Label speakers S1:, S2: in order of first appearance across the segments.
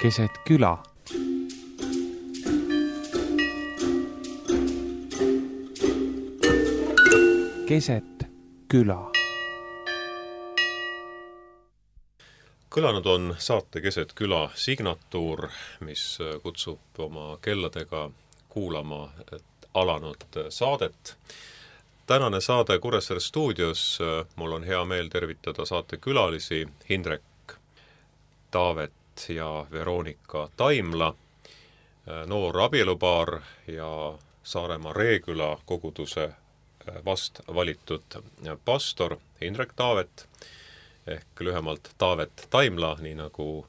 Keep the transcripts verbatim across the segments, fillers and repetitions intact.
S1: keset küla. Keset küla.
S2: Kõlanud on saate Keset küla signatuur, mis kutsub oma kelladega kuulama alanud saadet. Tänane saade Kuressaare stuudios. Mul on hea meel tervitada saate külalisi Hindrek Taavet ja Veronika Taimla, noor abielupaar ja Saaremaa Reeküla koguduse vast valitud pastor Hindrek Taavet ehk lühemalt Taavet Taimla, nii nagu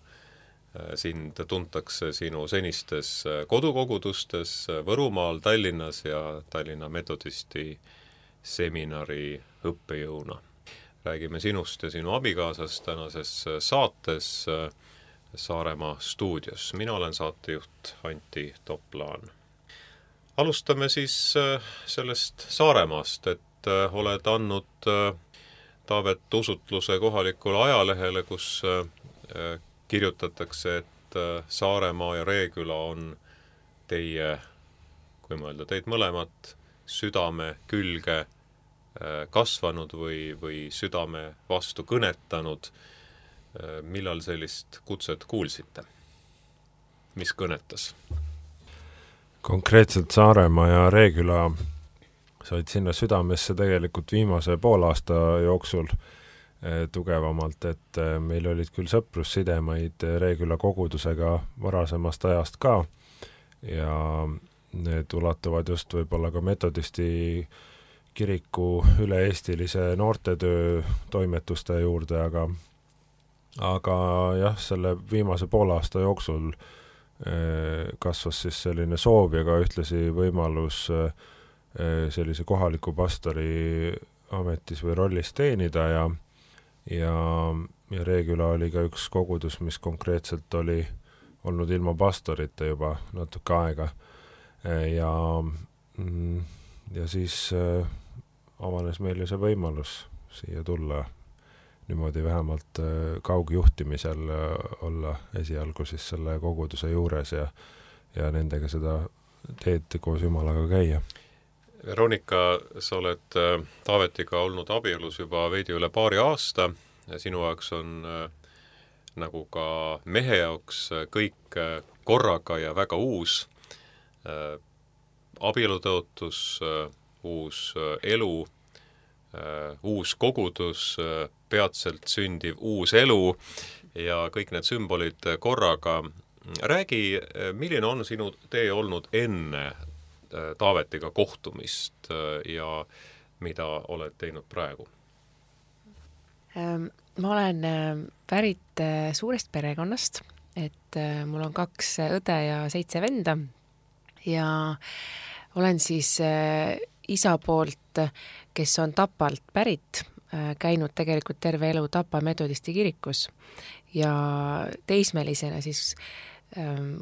S2: sind tuntakse sinu senistes kodukogudustes Võrumaal, Tallinnas ja Tallinna metodisti seminari õppejõuna. Räägime sinust ja sinu abikaasast tänases saates Saaremaa stuudios. Mina olen saatejuht Antti Toplaan. Alustame siis sellest Saaremaast, et oled andnud Taavet usutluse kohalikule ajalehele, kus kirjutatakse, et Saaremaa ja Reeküla on teie, kui mõelda teid mõlemat, südame külge kasvanud või, või südame vastu kõnetanud. Millal sellist kutset kuulsite? Mis kõnetas?
S3: Konkreetselt Saaremaa ja Reeküla said sinna südamesse tegelikult viimase poolaasta jooksul tugevamalt, et meil olid küll sõprussidemeid Reeküla kogudusega varasemast ajast ka ja need ulatuvad just võib-olla ka metodisti kiriku üle-eestilise noortetöö toimetuste juurde, aga aga jah, selle viimase poolaasta jooksul kasvas siis selline soov ja ka ühtlasi võimalus sellise kohaliku pastori ametis või rollis teenida ja ja, ja Reeküla oli ka üks kogudus, mis konkreetselt oli olnud ilma pastorite juba natuke aega ja, ja siis avanes meile see võimalus siia tulla niimoodi vähemalt kaugjuhtimisel olla esialgu siis selle koguduse juures ja, ja nendega seda teed koos Jumalaga käia.
S2: Veronika, sa oled Taavetiga olnud abielus juba veidi üle paari aasta. Sinu jaoks on nagu ka mehe jaoks kõik korraga ja väga uus. Abielutõotus, uus elu, uus kogudus, peatselt sündiv uus elu ja kõik need sümbolid korraga. Räägi, milline on sinu tee olnud enne Taavetiga kohtumist ja mida oled teinud praegu?
S4: Ma olen pärit suurest perekonnast, et mul on kaks õde ja seitse venda ja olen siis isa poolt, kes on Tapalt pärit, käinud tegelikult terve elu Tapa metodisti kirikus ja teismelisena siis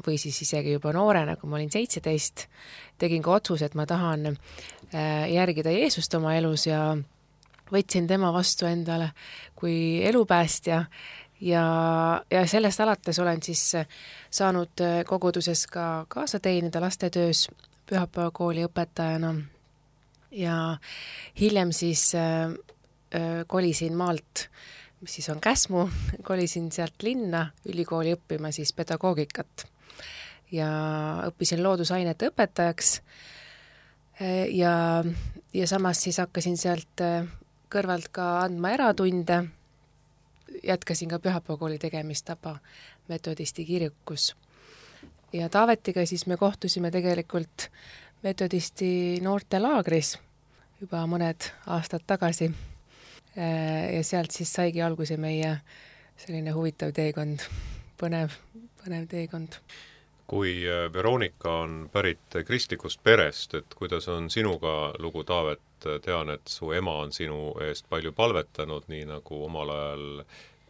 S4: või siis isegi juba noorena, kui ma olin seitseteist, tegin ka otsus, et ma tahan järgida Jeesust oma elus ja võtsin tema vastu endale kui elupäästja ja, ja sellest alates olen siis saanud koguduses ka kaasa teenida lastetöös pühapäevakooli õpetajana ja hiljem siis äh, kolisin maalt, mis siis on Käsmu, kolisin sealt linna ülikooli õppima siis pedagoogikat ja õppisin loodusainete õpetajaks ja, ja samas siis hakkasin sealt kõrvalt ka andma eratunde, jätkasin ka pühapäevakooli tegemist Tapa metodisti kirikus ja Taavetiga siis me kohtusime tegelikult metodisti noortelaagris juba mõned aastad tagasi ja sealt siis saigi alguse meie selline huvitav teekond, põnev, põnev teekond.
S2: Kui Veronika on pärit kristlikust perest, et kuidas on sinuga lugu, Taavet? Tean, et su ema on sinu eest palju palvetanud, nii nagu omal ajal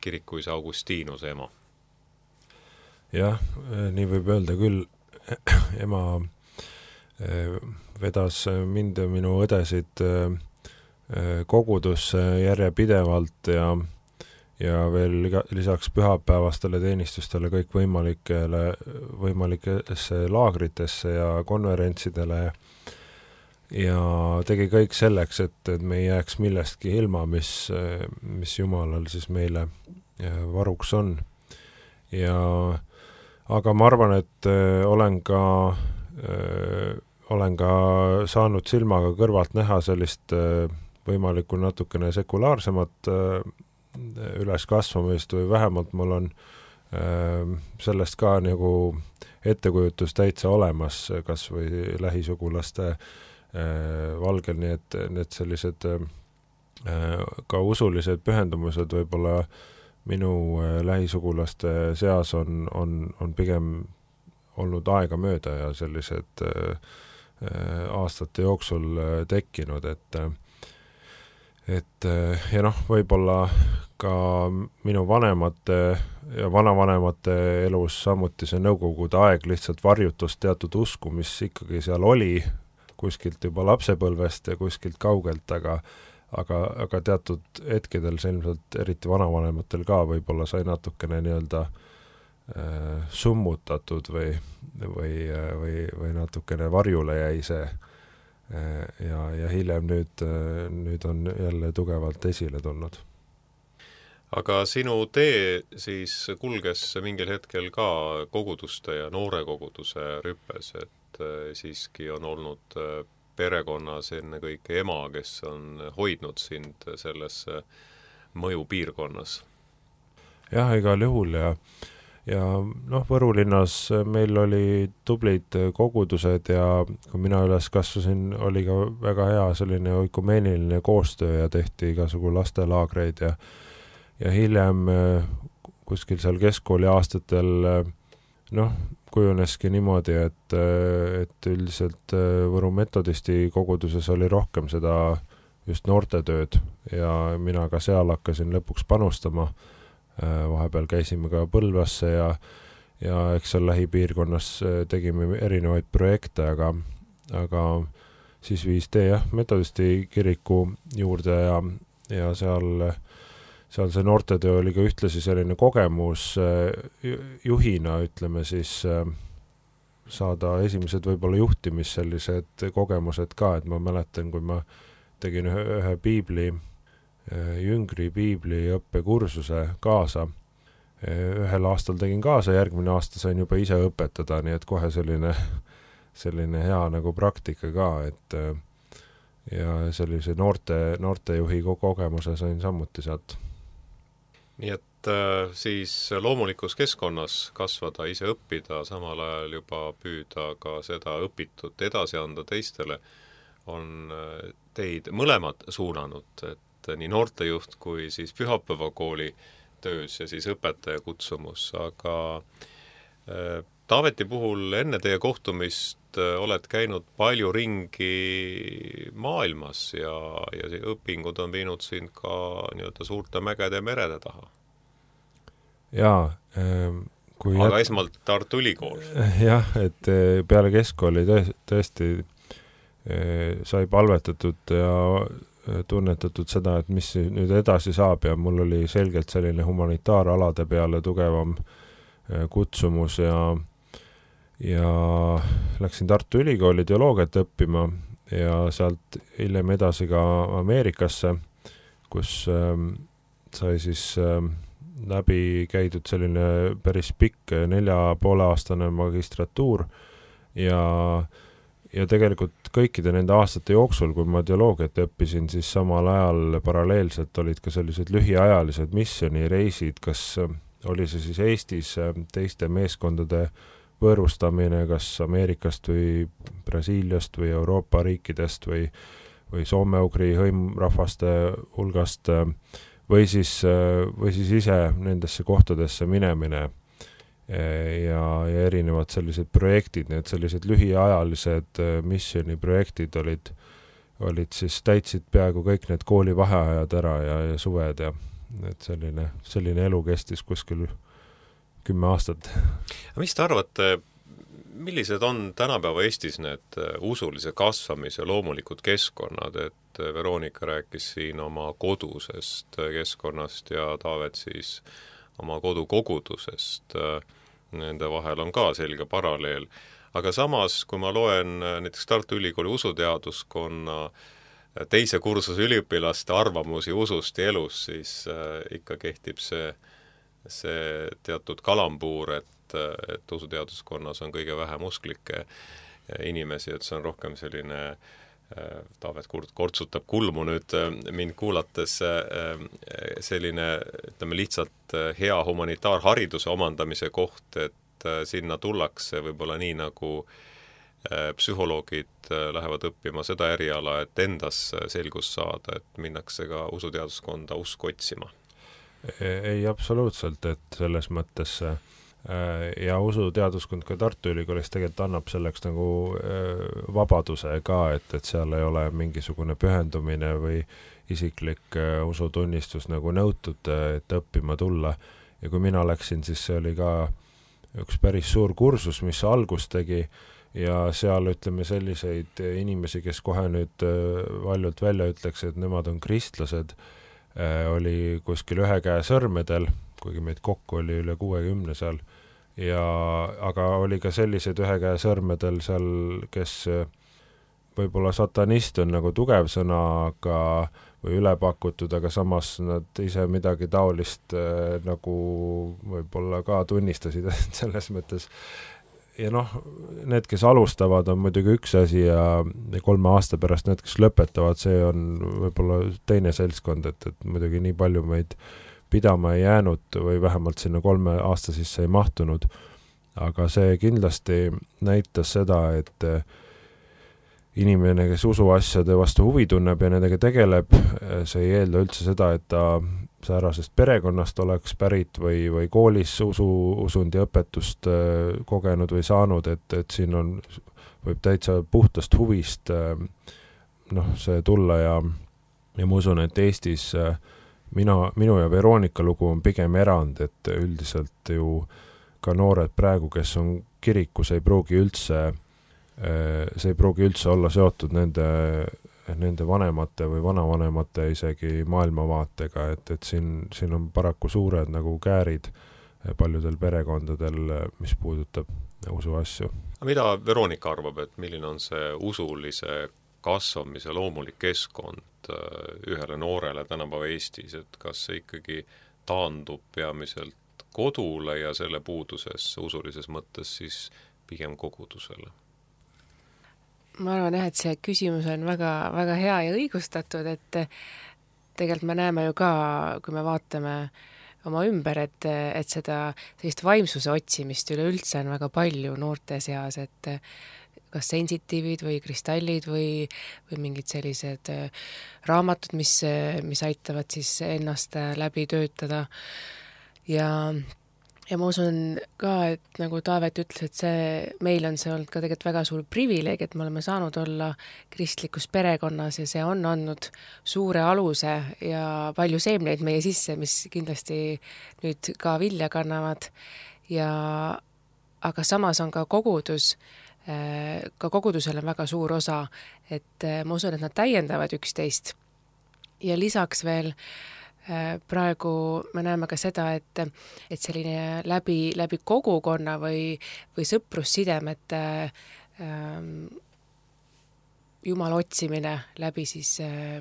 S2: kirikuisa Augustiinuse ema.
S3: Jah, nii võib öelda küll. Ema vedas mind ja minu õdesid kogudusse järjepidevalt ja, ja veel lisaks pühapäevastele teenistustele kõik võimalikele, võimalikesse laagritesse ja konverentsidele ja tegi kõik selleks, et, et me ei jääks millestki ilma, mis, mis Jumalal siis meile varuks on. Ja aga ma arvan, et äh, olen ka äh, olen ka saanud silmaga kõrvalt näha sellist äh, võimalikku natukene sekulaarsemat äh, üleskasvamist või vähemalt mul on äh, sellest ka nagu ettekujutus täitsa olemas, kas või lähisugulaste valgel, nii et need sellised ka usulised pühendumused võib-olla minu lähisugulaste seas on, on, on pigem olnud aega mööda ja sellised aastate jooksul tekkinud, et et ja noh, võib-olla ka minu vanemate ja vanavanemate elus samuti see nõukogude aeg lihtsalt varjutus teatud usku, mis ikkagi seal oli, kuskilt juba lapsepõlvest ja kuskilt kaugelt, aga, aga, aga teatud hetkedel see ilmselt eriti vanavanematel ka võib-olla sai natukene nii-öelda äh, summutatud või, või, või, või natukene varjule jäi see äh, ja, ja hiljem nüüd, äh, nüüd on jälle tugevalt esile tulnud.
S2: Aga sinu tee siis kulges mingil hetkel ka koguduste ja noorekoguduse rüppes, et siiski on olnud perekonnas enne kõike ema, kes on hoidnud sind selles mõjupiirkonnas.
S3: Jah, igal juhul ja, ja noh, Võru linnas meil oli tublid kogudused ja kui mina üles kasvasin, oli ka väga hea selline oikumeeniline koostöö ja tehti igasugu lastelaagreid ja, ja hiljem kuskil seal keskkooli aastatel noh, kujuneski niimoodi, et, et üldiselt Võru metodisti koguduses oli rohkem seda just noortetööd ja mina ka seal hakkasin lõpuks panustama. Vahepeal käisime ka Põlvasse ja, ja eks seal lähipiirkonnas tegime erinevaid projekte, aga, aga siis viis tee jah, metodisti kiriku juurde ja, ja seal seal see noortetöö oli ka ühtlasi selline kogemus juhina, ütleme siis, saada esimesed võib-olla juhtimis sellised kogemused ka, et ma mäletan, kui ma tegin ühe, ühe piibli, jüngri piibli õppekursuse kaasa. Ühel aastal tegin kaasa, järgmine aasta sain juba ise õpetada, nii et kohe selline, selline hea nagu praktika ka, et ja sellise noorte, noortejuhi kogemuse sain samuti sealt.
S2: Nii et äh, siis loomulikus keskkonnas kasvada, ise õppida, samal ajal juba püüda ka seda õpitut edasi anda teistele, on teid mõlemad suunanud, et nii noortejuht kui siis pühapäevakooli töös ja siis õpetaja kutsumus, aga äh, Taaveti puhul enne teie kohtumist oled käinud palju ringi maailmas ja, ja õpingud on viinud sind ka nii-öelda suurte mägede ja merede taha.
S3: Jaa. Kui
S2: aga jät... esmalt Tartu Ülikool.
S3: Jah, et peale keskkooli tõesti sai palvetatud ja tunnetatud seda, et mis nüüd edasi saab ja mul oli selgelt selline humanitaaralade peale tugevam kutsumus ja ja läksin Tartu Ülikooli teoloogiat õppima ja sealt hiljem edasi ka Ameerikasse, kus ähm, sai siis ähm, läbi käidud selline päris pikk nelja poole aastane magistratuur ja, ja tegelikult kõikide nende aastate jooksul, kui ma teoloogiat õppisin, siis samal ajal paralleelselt olid ka sellised lühiajalised missioonireisid, kas oli see siis Eestis teiste meeskondade võõrustamine kas Ameerikast või Brasiiliast või Euroopa riikidest või, või soome-ugri hõimrahvaste hulgast või siis, või siis ise nendesse kohtadesse minemine ja, ja erinevad sellised projektid, need sellised lühiajalised missiooniprojektid olid, olid siis täitsid peaaegu kõik need kooli vaheajad ära ja, ja suved ja et selline, selline elu kestis kuskil kümme aastat.
S2: Mis te arvate, millised on tänapäeva Eestis need usulise kasvamise loomulikud keskkonnad, et Veronika rääkis siin oma kodusest keskkonnast ja Taavet siis oma kodukogudusest. Nende vahel on ka selge paralleel. Aga samas, kui ma loen näiteks Tartu Ülikooli usuteaduskonna teise kursuse üliõpilaste arvamusi usust ja elust, siis ikka kehtib see, see teatud kalambuur, et, et usuteaduskonnas on kõige vähem usklikke inimesi, et see on rohkem selline, Taavet kortsutab kulmu nüüd mind kuulates, selline, ütleme lihtsalt hea humanitaarhariduse omandamise koht, et sinna tullakse võib-olla nii nagu psühholoogid lähevad õppima seda eriala, et endas selgus saada, et minnakse ka usuteaduskonda usk otsima.
S3: Ei, absoluutselt, et selles mõttes ja usuteaduskond ka Tartu Ülikoolis tegelikult annab selleks nagu vabaduse ka, et, et seal ei ole mingisugune pühendumine või isiklik usutunnistus nagu nõutud, et õppima tulla. Ja kui mina läksin, siis see oli ka üks päris suur kursus, mis algus tegi ja seal ütleme selliseid inimesi, kes kohe nüüd valjult välja ütleks, et nemad on kristlased, oli kuskil ühe käe sõrmedel, kuigi meid kokku oli üle kuuekümne seal, ja, aga oli ka sellised ühe käe sõrmedel seal, kes võib-olla satanist on nagu tugev sõna, aga, või üle pakutud, aga samas nad ise midagi taolist äh, nagu võib-olla ka tunnistasid selles mõttes. Ja noh, need, kes alustavad, on muidugi üks asi ja kolme aasta pärast need, kes lõpetavad, see on võib-olla teine seltskond, et, et muidugi nii palju meid pidama ei jäänud või vähemalt sinna kolme aasta sisse ei mahtunud. Aga see kindlasti näitas seda, et inimene, kes usuasjade vastu huvi tunneb ja nendega tegeleb, see ei eelda üldse seda, et ta säärasest perekonnast oleks pärit või, või koolis usu, usundi õpetust kogenud või saanud, et, et siin on, võib täitsa puhtast huvist noh, see tulla ja, ja ma usun, et Eestis Mina, minu ja Veronika lugu on pigem erand, et üldiselt ju ka noored praegu, kes on kirikus, ei pruugi üldse, see ei pruugi üldse olla seotud nende, nende vanemate või vanavanemate isegi maailmavaatega, et, et siin, siin on paraku suured nagu käärid paljudel perekondadel, mis puudutab usuasju.
S2: Mida Veronika arvab, et milline on see usulise kasvamise loomulik keskkond ühele noorele tänapäeva Eestis, et kas see ikkagi taandub peamiselt kodule ja selle puuduses usulises mõttes siis pigem kogudusele?
S4: Ma arvan jah, et see küsimus on väga, väga hea ja õigustatud, et tegelikult me näeme ju ka, kui me vaatame oma ümber, et, et seda sellist vaimsuse otsimist üleüldse on väga palju noorte seas, et kas sensitiivid või kristallid või, või mingid sellised raamatud, mis, mis aitavad siis ennast läbi töötada. Ja, ja ma usun ka, et nagu Taavet ütles, et see, meil on see olnud ka tegelikult väga suur privileeg, et me oleme saanud olla kristlikus perekonnas ja see on andnud suure aluse ja palju seemneid meie sisse, mis kindlasti nüüd ka vilja kannavad. Ja, aga samas on ka kogudus, ka kogudusel on väga suur osa, et ma usun, et nad täiendavad üksteist. Ja lisaks veel praegu me näeme ka seda, et, et selline läbi, läbi kogukonna või, või sõprussidemete ähm, Jumala otsimine läbi siis äh,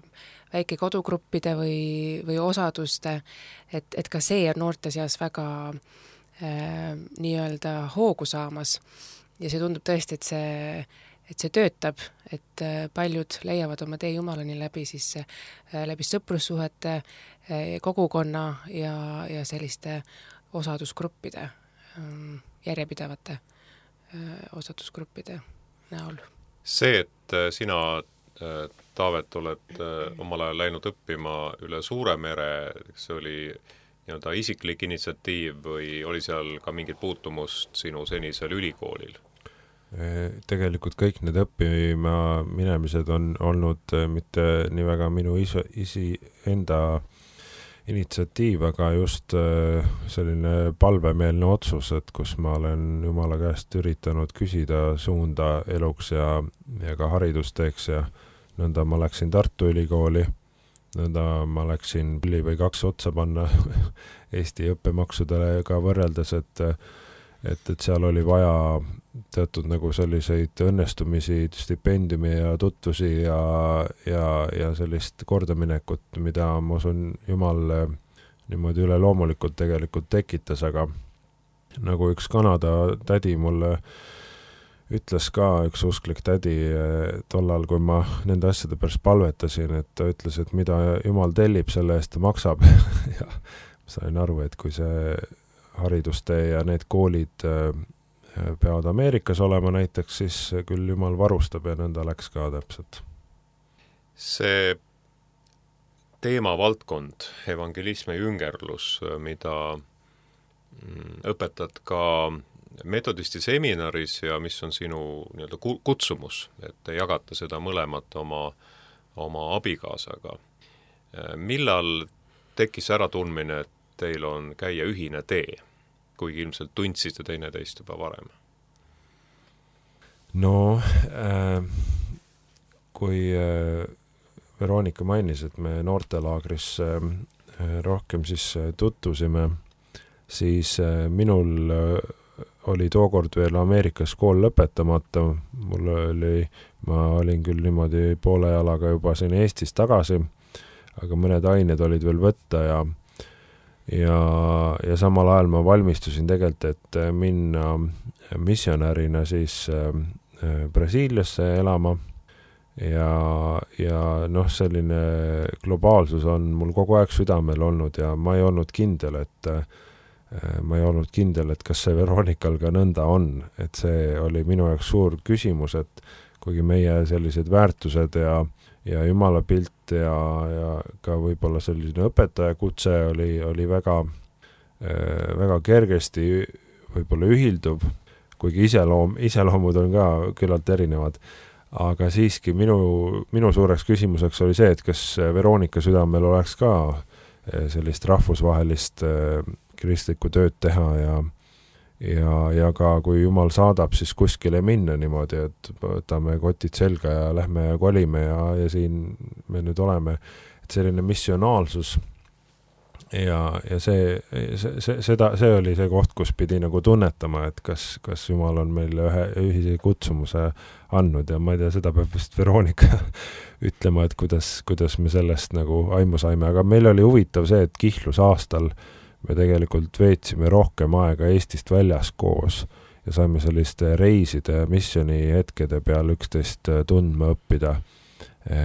S4: väike kodugruppide või, või osaduste, et, et ka see on noorte seas väga äh, nii-öelda hoogu saamas. Ja see tundub tõesti, et see, et see töötab, et paljud leiavad oma tee Jumalani läbi, siis, läbi sõprussuhete, kogukonna ja, ja selliste osadusgruppide, järjepidevate osadusgruppide näol.
S2: See, et sina, Taavet, oled omal ajal läinud õppima üle Suure mere, see oli nii-öelda isiklik initsiatiiv või oli seal ka mingit puutumust sinu senisel ülikoolil?
S3: Tegelikult kõik need õppima minemised on olnud mitte nii väga minu isi, isi enda initsiatiiv, aga just selline palvemeelne otsus, et kus ma olen Jumala käest üritanud küsida suunda eluks ja, ja ka haridusteeks ja nõnda ma läksin Tartu Ülikooli, nõnda ma läksin pilli või kaks otsa panna Eesti õppemaksudele ka võrreldes, et, et, et seal oli vaja teatud nagu selliseid õnnestumisi, stipendiumi ja tutvusi ja, ja, ja sellist kordaminekut, mida ma usun Jumal niimoodi üle loomulikult tegelikult tekitas, aga nagu üks Kanada tädi mulle ütles ka, üks usklik tädi tollal, kui ma nende asjade pärast palvetasin, et ta ütles, et mida Jumal tellib, selle eest ta maksab ja sain aru, et kui see haridustee ja need koolid peavad Ameerikas olema näiteks, siis küll Jumal varustab ja nõnda läks ka täpselt.
S2: See teemavaldkond, evangelism ja jüngerlus, mida õpetad ka metodisti seminaris ja mis on sinu nii-öelda kutsumus, et te jagate seda mõlemat oma, oma abikaasaga. Millal tekkis äratundmine, et teil on käia ühine tee, kuigi ilmselt tundsite teineteist juba varem?
S3: No, äh, kui äh, Veronika mainis, et me noortelaagris äh, rohkem siis tutvusime, siis äh, minul äh, oli tookord veel Ameerikas kool lõpetamata, mul oli, ma olin küll niimoodi poole jalaga juba siin Eestis tagasi, aga mõned ained olid veel võtta ja ja, ja samal ajal ma valmistusin tegelikult, et minna missionärina siis Brasiiliasse elama ja, ja noh, selline globaalsus on mul kogu aeg südamel olnud ja ma ei olnud kindel, et ma ei olnud kindel, et kas see Veronikal ka nõnda on, et see oli minu jaoks suur küsimus, et kuigi meie sellised väärtused ja ja Jumala pilt ja, ja ka võib-olla selline õpetaja kutse oli, oli väga, väga kergesti võib-olla ühilduv, kuigi iseloom, iseloomud on ka küllalt erinevad. Aga siiski minu, minu suureks küsimuseks oli see, et kas Veronika südamel oleks ka sellist rahvusvahelist kristlikku tööd teha ja Ja, ja ka kui Jumal saadab, siis kuskile minna niimoodi, et võtame kotid selga ja lähme ja kolime ja, ja siin me nüüd oleme, et selline missionaalsus ja, ja see, see, see, seda, see oli see koht, kus pidi nagu tunnetama, et kas, kas Jumal on meile ühe ühise kutsumuse andnud ja ma ei tea, seda peab vist Veronika ütlema, et kuidas, kuidas me sellest nagu aimu saime, aga meil oli huvitav see, et kihlus aastal me tegelikult veetsime rohkem aega Eestist väljas koos ja saime selliste reiside missiooni hetkede peal üksteist tundma õppida. E,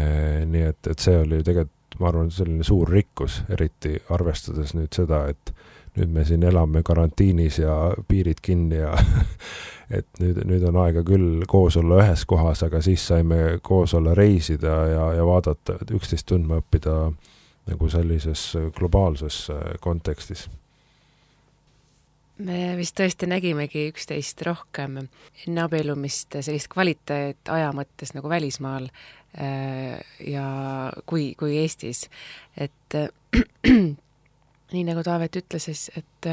S3: nii et, et see oli tegelikult, ma arvan, selline suur rikkus, eriti arvestades nüüd seda, et nüüd me siin elame karantiinis ja piirid kinni ja et nüüd, nüüd on aega küll koos olla ühes kohas, aga siis saime koos olla reisida ja, ja vaadata, üksteist tundma õppida nagu sellises globaalses kontekstis.
S4: Me vist tõesti nägimegi üksteist rohkem enne abielumist sellist kvaliteet aja mõttes nagu välismaal ja kui, kui Eestis. Et nii nagu Taavet ütles, et,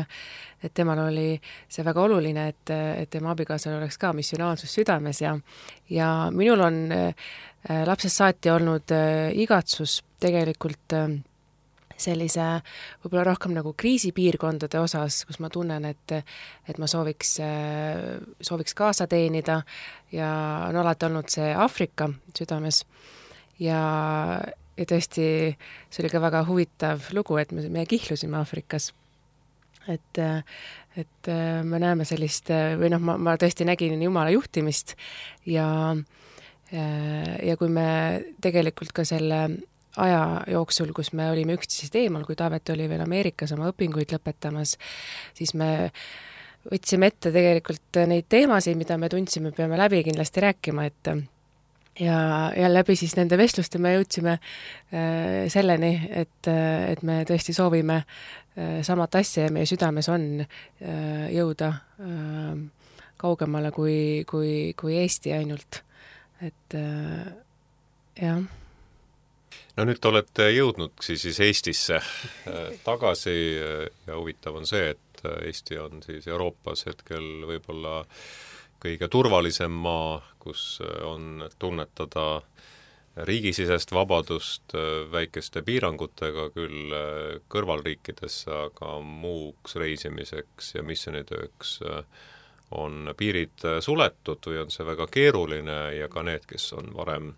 S4: et temal oli see väga oluline, et, et tema abikaasal oleks ka missionaalsus südames ja, ja minul on lapsest saati olnud igatsus tegelikult sellise võib-olla rohkem nagu kriisipiirkondade osas, kus ma tunnen, et, et ma sooviks, sooviks kaasa teenida ja on alati olnud see Aafrika südames ja, ja tõesti see oli ka väga huvitav lugu, et me, me kihlusime Aafrikas. Et, et me näeme sellist, või noh, ma, ma tõesti nägin Jumala juhtimist ja, ja kui me tegelikult ka selle aja jooksul, kus me olime üksteisest eemal, kui Taavet oli veel Ameerikas oma õpinguid lõpetamas, siis me võtsime ette tegelikult neid teemasid, mida me tundsime, peame läbi kindlasti rääkima, et ja, ja läbi siis nende vestluste me jõudsime äh, selleni, et, et me tõesti soovime äh, samat asja ja meie südames on äh, jõuda äh, kaugemale kui, kui, kui Eesti ainult. Et äh, jah.
S2: no nüüd olete jõudnud siis Eestisse tagasi ja huvitav on see, et Eesti on siis Euroopas hetkel võib-olla kõige turvalisem maa, kus on tunnetada riigisisest vabadust väikeste piirangutega küll kõrvalriikidesse, aga muuks reisimiseks ja missioonitööks on piirid suletud või on see väga keeruline ja ka need, kes on varem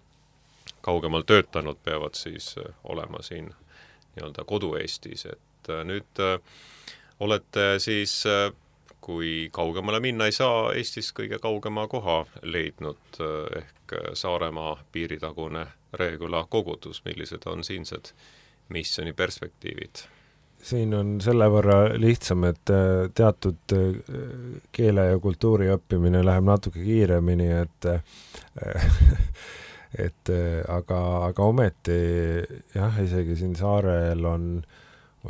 S2: kaugemal töötanud, peavad siis olema siin nii-öelda kodu-Eestis, et nüüd olete siis, kui kaugemale minna ei saa, Eestis kõige kaugema koha leidnud ehk Saaremaa piiritagune Reeküla kogudus, millised on siinsed missiooni perspektiivid?
S3: Siin on selle võrra lihtsam, et teatud keele ja kultuuri õppimine läheb natuke kiiremini, et et aga, aga ometi jah, isegi siin saarel on,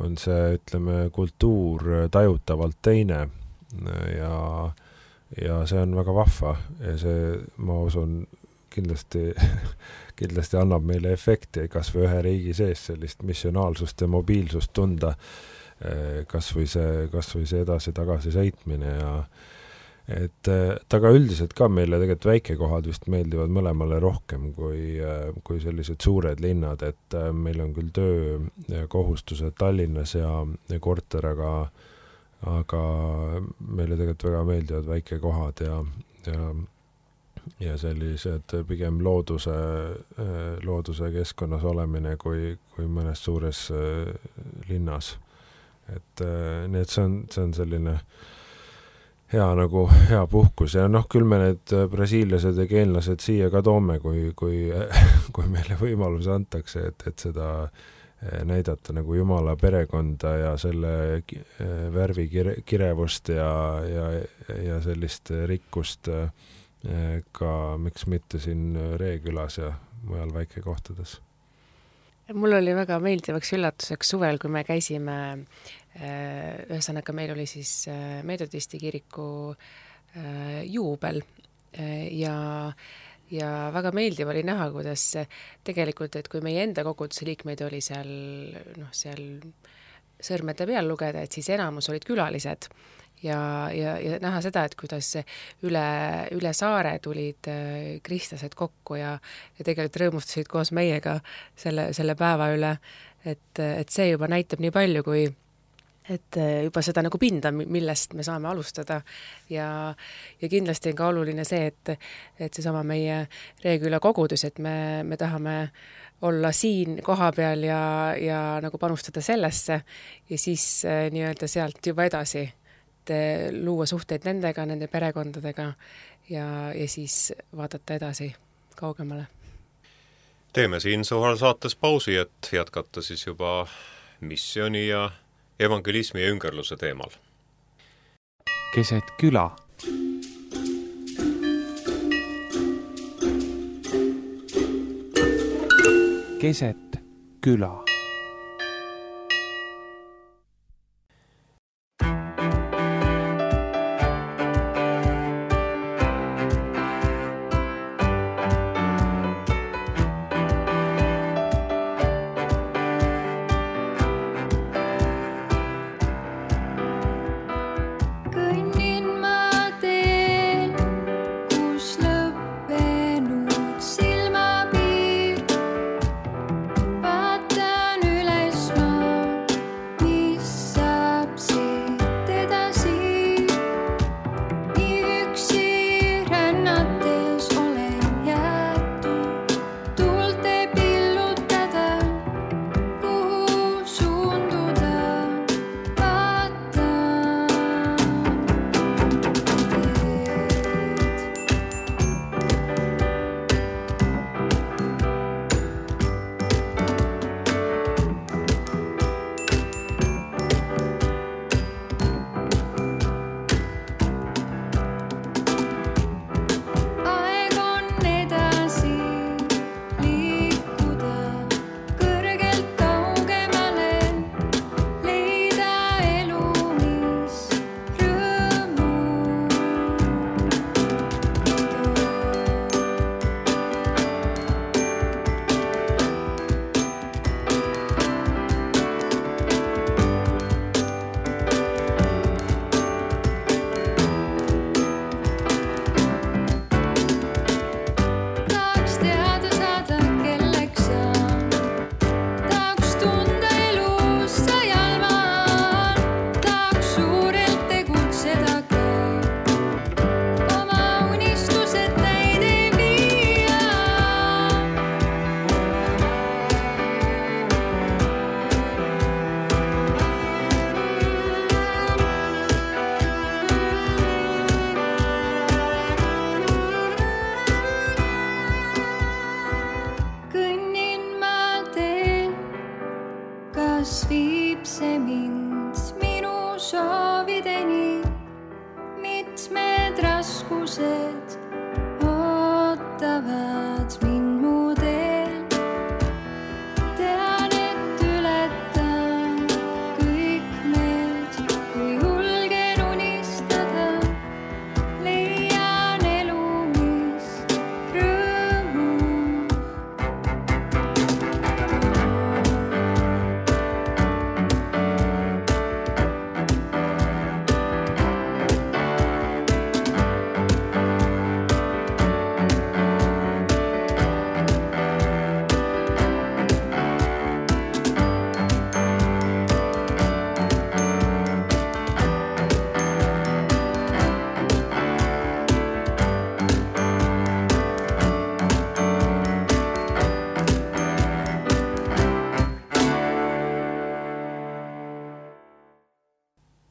S3: on see, ütleme, kultuur tajutavalt teine ja, ja see on väga vahva ja see, ma usun, kindlasti, kindlasti annab meile efekti kas või ühe riigi sees sellist missionaalsust ja mobiilsust tunda, kas või see, kas või see edasi-tagasi sõitmine ja et taga üldiselt ka meile tegelikult väikekohad vist meeldivad mõlemale rohkem kui, kui sellised suured linnad, et meil on küll töökohustused Tallinnas ja, ja korter, aga, aga meile tegelikult väga meeldivad väikekohad ja, ja, ja sellised pigem looduse, looduse keskkonnas olemine kui, kui mõnes suures linnas. Et nii, et see on, see on selline hea nagu hea puhkus ja noh, küll me need brasiilased ja keenlased siia ka toome, kui, kui, kui meile võimalus antakse, et, et seda näidata nagu Jumala perekonda ja selle värvi kire, kirevust ja, ja, ja sellist rikkust ka, miks mitte siin Reekülas ja mujal väikekohtades.
S4: Mul oli väga meeldivaks üllatuseks suvel, kui me käisime, ühesõnaga meil oli siis Metodisti kiriku juubel ja, ja väga meeldiv oli näha, kuidas tegelikult, et kui meie enda koguduse liikmeid oli seal, noh, seal sõrmede peal lugeda, et siis enamus olid külalised ja, ja, ja näha seda, et kuidas üle, üle saare tulid kristlased kokku ja, ja tegelikult rõõmustasid koos meiega selle, selle päeva üle, et, et see juba näitab nii palju, kui et juba seda nagu pinda, millest me saame alustada ja, ja kindlasti on ka oluline see, et, et see sama meie Reeküla kogudus, et me, me tahame olla siin koha peal ja, ja nagu panustada sellesse ja siis nii-öelda sealt juba edasi, et luua suhteid nendega, nende perekondadega ja, ja siis vaadata edasi kaugemale.
S2: Teeme siin Suhal saates pausi, et jätkata siis juba missiooni ja evangelismi ja üngerluse teemal.
S1: Keset küla. Keset küla.
S5: Silmapiir, vaata need raskused ootavad mind mu teel. Tean, et ületan kõik need, kui julgen unistada, leian elu, mis rõõmu.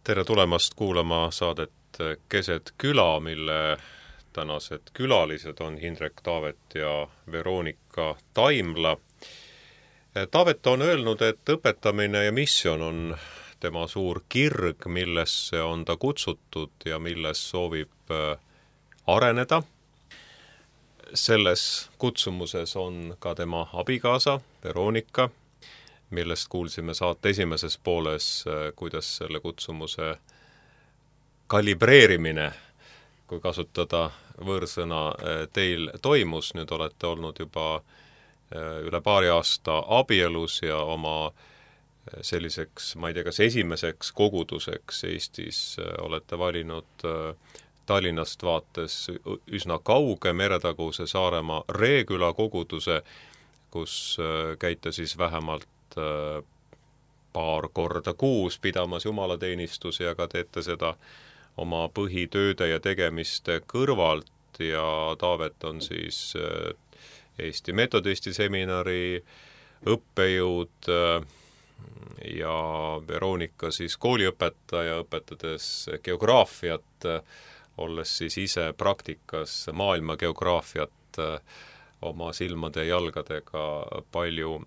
S2: Tere tulemast kuulama saadet Keset küla, mille tänased külalised on Hindrek Taavet ja Veronika Taimla. Taavet on öelnud, et õpetamine ja missioon on tema suur kirg, millesse on ta kutsutud ja milles soovib areneda. Selles kutsumuses on ka tema abikaasa Veronika, millest kuulsime saate esimeses pooles, kuidas selle kutsumuse kalibreerimine, kui kasutada võõrsõna, teil toimus. Nüüd olete olnud juba üle paari aasta abielus ja oma selliseks, ma ei tea, kas esimeseks koguduseks Eestis olete valinud Tallinnast vaates üsna kauge meretaguse Saaremaa Reeküla koguduse, kus käite siis vähemalt paar korda kuus pidamas jumalateenistusi, aga teete seda oma põhitööde ja tegemiste kõrvalt ja Taavet on siis Eesti Metodisti seminari õppejõud ja Veronika siis kooliõpetaja, õpetades geograafiat, olles siis ise praktikas maailma geograafiat oma silmade ja jalgadega palju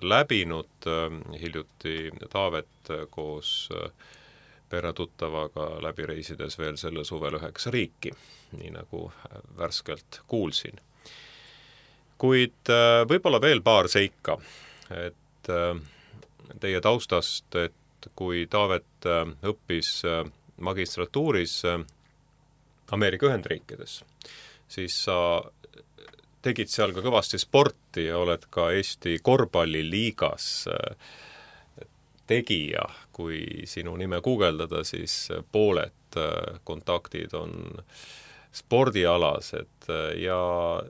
S2: läbinud. Hiljuti Taavet koos peretuttavaga läbi reisides veel selle suvel üheksa riiki, nii nagu värskelt kuulsin. Kuid võib-olla veel paar seika, et teie taustast, et kui Taavet õppis magistratuuris Ameerika Ühendriikides, siis sa tegid seal ka kõvasti sporti ja oled ka Eesti korvpalliliigas tegija. Kui sinu nime guugeldada, siis pooled kontaktid on spordialased ja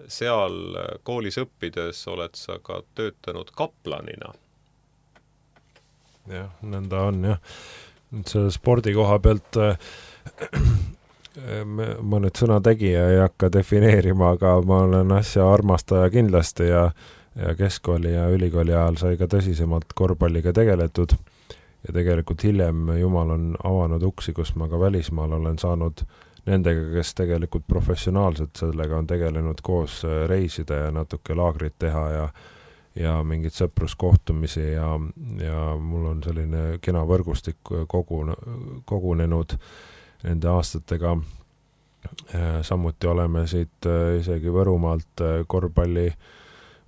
S2: seal koolis õppides oled sa ka töötanud kaplanina.
S3: Jah, nõnda on jah. Nüüd selle spordi koha pealt ma nüüd sõna tegija ei hakka defineerima, aga ma olen asja armastaja kindlasti ja, ja keskkooli ja ülikooli ajal sai ka tõsisemalt korvpalliga tegeletud ja tegelikult hiljem Jumal on avanud uksi, kus ma ka välismaal olen saanud nendega, kes tegelikult professionaalselt sellega on tegelenud koos reisida ja natuke laagrit teha ja, ja mingid sõpruskohtumisi ja, ja mul on selline kena võrgustik kogun, kogunenud nende aastatega. Samuti oleme siit isegi Võrumaalt korvpalli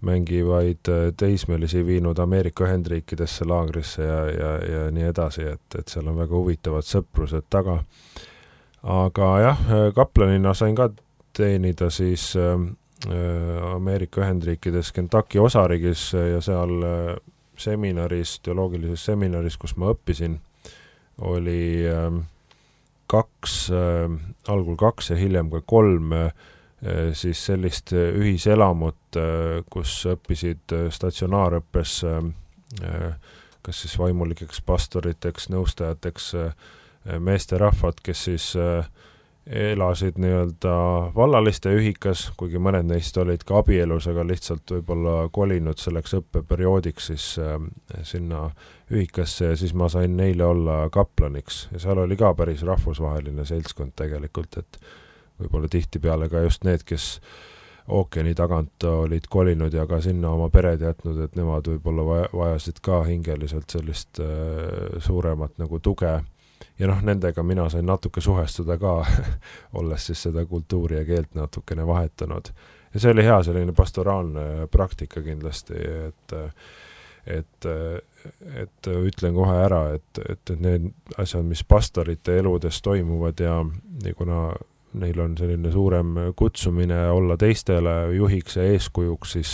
S3: mängivaid teismelisi viinud Ameerika Ühendriikidesse laagrisse ja, ja, ja nii edasi, et, et seal on väga huvitavad sõprused taga. Aga jah, kaplanina sain ka teenida siis Ameerika Ühendriikides Kentucky osariigis ja seal seminaris, teoloogilises seminaris, kus ma õppisin, oli kaks, äh, algul kaks ja hiljem ka kolm äh, siis sellist ühiselamut, äh, kus õppisid statsionaarõppes äh, kas siis vaimulikeks pastoriteks, nõustajateks äh, meesterahvad, kes siis äh, elasid nii-öelda vallaliste ühikas, kuigi mõned neist olid ka abielus, aga lihtsalt võib-olla kolinud selleks õppeperioodiks siis äh, sinna ühikasse ja siis ma sain neile olla kaplaniks ja seal oli ka päris rahvusvaheline seltskond tegelikult, et võib-olla tihtipeale ka just need, kes ookeani tagant olid kolinud ja ka sinna oma pered jätnud, et nemad võib-olla vajasid ka hingeliselt sellist äh, suuremat nagu tuge ja noh, nendega mina sain natuke suhestuda ka, olles siis seda kultuuri ja keelt natukene vahetanud. Ja see oli hea selline pastoraalne praktika kindlasti, et et, et ütlen kohe ära, et, et, et need asjad, mis pastorite eludes toimuvad ja, ja kuna neil on selline suurem kutsumine olla teistele juhiks ja eeskujuks, siis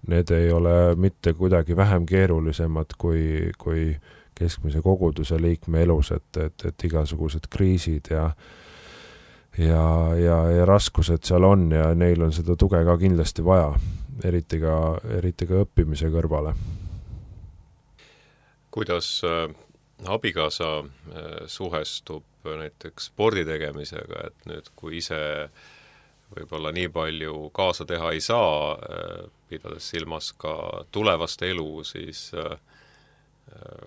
S3: need ei ole mitte kuidagi vähem keerulisemad kui, kui keskmise koguduse liikme elus, et, et, et igasugused kriisid ja, ja, ja, ja raskused seal on ja neil on seda tuge ka kindlasti vaja, eriti ka, eriti ka õppimise kõrvale.
S2: Kuidas äh, abikaasa äh, suhestub näiteks spordi tegemisega, et nüüd kui ise võib-olla nii palju kaasa teha ei saa, äh, pidades silmas ka tulevast elu, siis äh,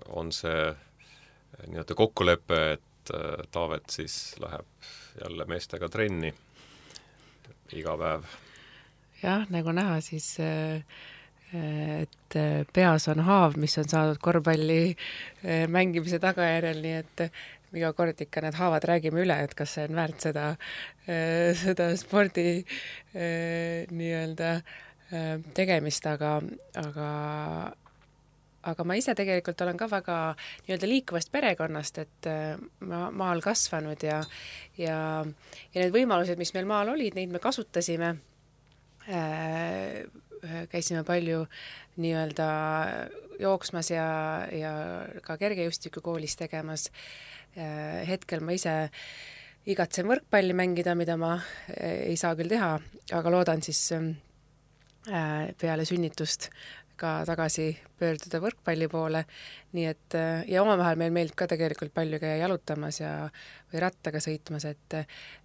S2: on see nii-öelda kokkulepe, et äh, Taavet siis läheb jälle meestega trenni iga päev.
S4: Jah, nagu näha, siis äh, et peas on haav, mis on saadud korvpalli mängimise tagajärjel, nii et iga kord ikka need haavad räägime üle, et kas see on väärt seda, seda spordi nii-öelda tegemist, aga, aga, aga ma ise tegelikult olen ka väga nii-öelda liikuvast perekonnast, et ma maal kasvanud ja, ja, ja need võimalused, mis meil maal olid, neid me kasutasime, käisime palju nii-öelda jooksmas ja, ja ka kergejustiku koolis tegemas. Hetkel ma ise igatsen võrkpalli mängida, mida ma ei saa küll teha, aga loodan siis peale sünnitust ka tagasi pöörduda võrkpalli poole. Nii et, ja omavahel meil meeldib ka tegelikult palju käia jalutamas ja, või rattaga sõitmas, et,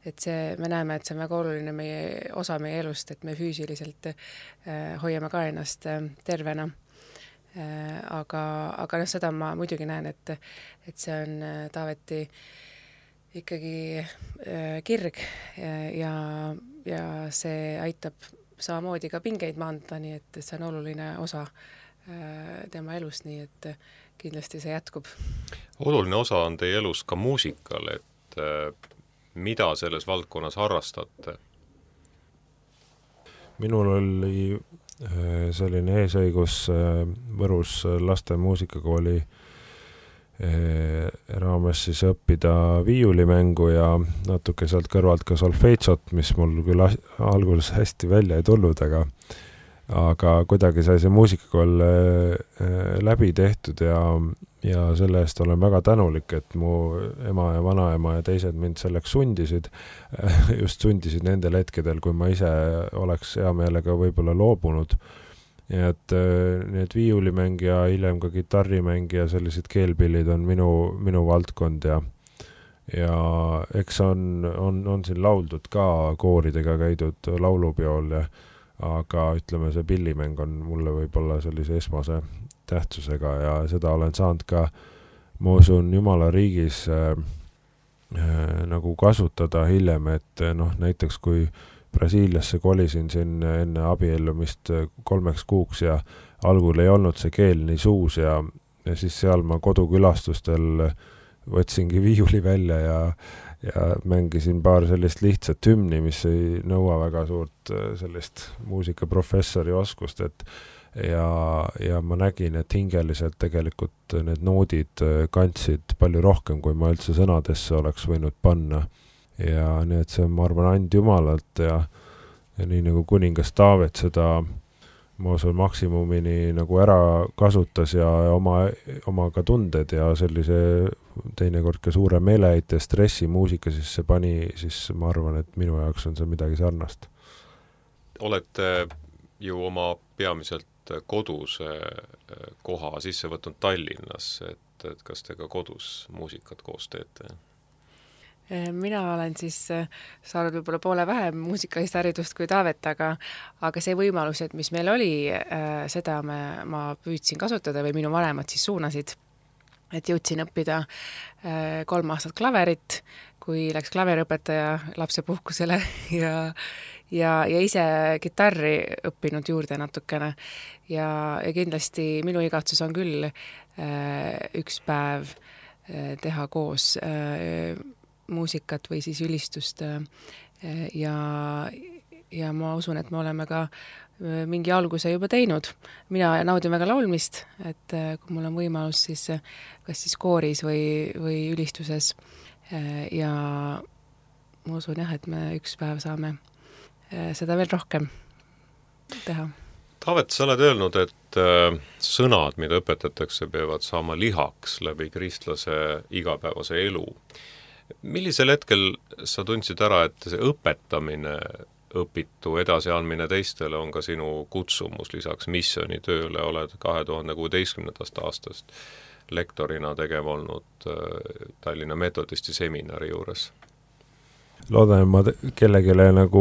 S4: et see, me näeme, et see on väga oluline meie, osa meie elust, et me füüsiliselt äh, hoiame ka ennast äh, tervena. Äh, aga, aga noh, seda ma muidugi näen, et, et see on äh, Taaveti ikkagi äh, kirg ja, ja see aitab samamoodi ka pingeid maandada, nii et see on oluline osa äh, tema elust, nii et kindlasti see jätkub.
S2: Oluline osa on teie elus ka muusikal, et äh, mida selles valdkonnas harrastate?
S3: Minul oli äh, selline eesõigus äh, Võrus laste muusikakooli raames siis õppida viiulimängu ja natuke sealt kõrvalt ka solfeitsot, mis mul küll alguses hästi välja ei tulnud, aga aga kuidagi sai see muusikakool läbi tehtud ja, ja selle eest olen väga tänulik, et mu ema ja vanaema ja teised mind selleks sundisid, just sundisid nendel hetkedel, kui ma ise oleks hea meelega võib-olla loobunud. Ja et need viiulimäng ja hiljem ka kitarrimäng ja sellised keelpillid on minu, minu valdkond ja, ja eks on, on, on siin lauldud ka kooridega käidud laulupeol, ja, aga ütleme, see pillimäng on mulle võib-olla sellise esmase tähtsusega ja seda olen saanud ka, ma usun, Jumala riigis äh, äh, nagu kasutada hiljem, et noh, näiteks kui Brasiiliasse kolisin siin enne abiellumist kolmeks kuuks ja algul ei olnud see keel nii suus ja, ja siis seal ma kodukülastustel võtsingi viiuli välja ja, ja mängisin paar sellist lihtsat hümni, mis ei nõua väga suurt sellist muusikaprofessori oskust, et ja, ja ma nägin, et hingeliselt tegelikult need noodid kandsid palju rohkem, kui ma üldse sõnadesse oleks võinud panna. Ja nii, et see on, ma arvan, and Jumalalt ja, ja nii nagu kuningas Taavet seda ma usun maksimumini nagu ära kasutas ja oma, oma ka tunded ja sellise teinekord ka suure meeleheite stressi muusika sisse pani, siis ma arvan, et minu jaoks on see midagi sarnast.
S2: Olete ju oma peamiselt koduse koha sisse võtnud Tallinnas, et, et kas te ka kodus muusikat koos teete?
S4: Mina olen siis saanud võib-olla poole vähem muusikalist haridust kui Taavet, aga, aga see võimalus, et mis meil oli, seda me, ma püüdsin kasutada või minu vanemad siis suunasid, et jõudsin õppida kolm aastat klaverit, kui läks klaveriõpetaja lapsepuhkusele ja, ja, ja ise kitarri õppinud juurde natukene ja, ja kindlasti minu igatsus on küll üks päev teha koos muusikat või siis ülistust ja, ja ma usun, et me oleme ka mingi alguse juba teinud. Mina naudin väga laulmist, et kui mul on võimalus, siis kas siis kooris või, või ülistuses ja ma usun jah, et me üks päev saame seda veel rohkem teha.
S2: Taavet, sa oled öelnud, et äh, sõnad, mida õpetatakse, peavad saama lihaks läbi kristlase igapäevase elu. Millisel hetkel sa tundsid ära, et see õpetamine, õpitu edasiandmine teistele on ka sinu kutsumus, lisaks missioonitööle oled kahe tuhande kuueteistkümnendast aastast lektorina tegev olnud äh, Tallinna Metodisti seminari juures?
S3: Loodan, et ma kellegile nagu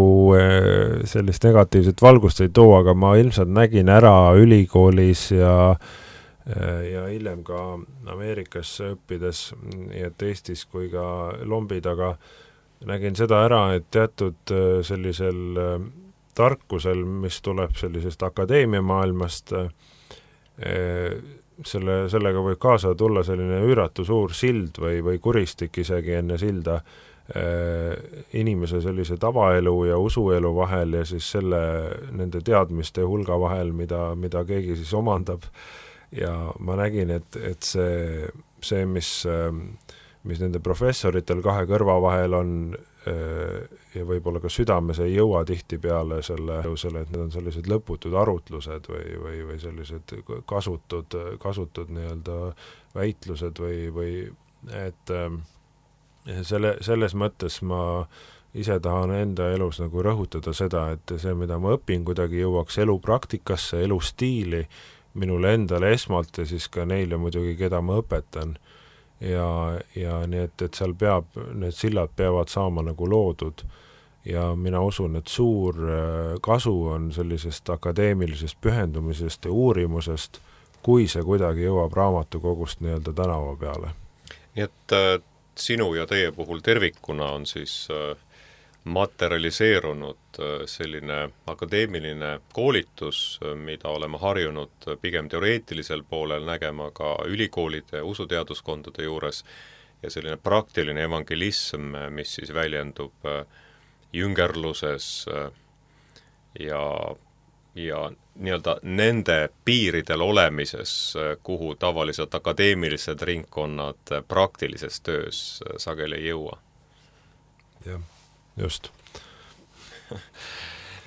S3: sellist negatiivset valgust ei too, aga ma ilmselt nägin ära ülikoolis ja, ja hiljem ka Ameerikas õppides, nii et Eestis kui ka lombi taga, nägin seda ära, et teatud sellisel tarkusel, mis tuleb sellisest akadeemia maailmast, selle, sellega võib kaasa tulla selline üüratu suur sild või, või kuristik isegi enne silda, inimese sellise tavaelu ja usuelu vahel ja siis selle, nende teadmiste hulga vahel, mida, mida keegi siis omandab. Ja ma nägin, et, et see, see mis, mis nende professoritel kahe kõrva vahel on ja võib-olla ka südames ei jõua tihti peale selle, selle, et need on sellised lõputud arutlused või, või, või sellised kasutud, kasutud nii-öelda väitlused või, või et Selle, selles mõttes ma ise tahan enda elus nagu rõhutada seda, et see, mida ma õpin, kuidagi jõuaks elupraktikasse, elustiili, minule endale esmalt ja siis ka neile muidugi, keda ma õpetan. Ja, ja nii, et, et seal peab, need sillad peavad saama nagu loodud. Ja mina usun, et suur kasu on sellisest akadeemilisest pühendumisest ja uurimusest, kui see kuidagi jõuab raamatukogust nii-öelda tänava peale.
S2: Nii et sinu ja teie puhul tervikuna on siis materialiseerunud selline akadeemiline koolitus, mida oleme harjunud pigem teoreetilisel poolel nägema ka ülikoolide usuteaduskondade juures ja selline praktiline evangelism, mis siis väljendub jüngerluses ja ja nii-öelda nende piiridel olemises, kuhu tavaliselt akadeemilised ringkonnad praktilises töös sageli ei jõua.
S3: Jah, just.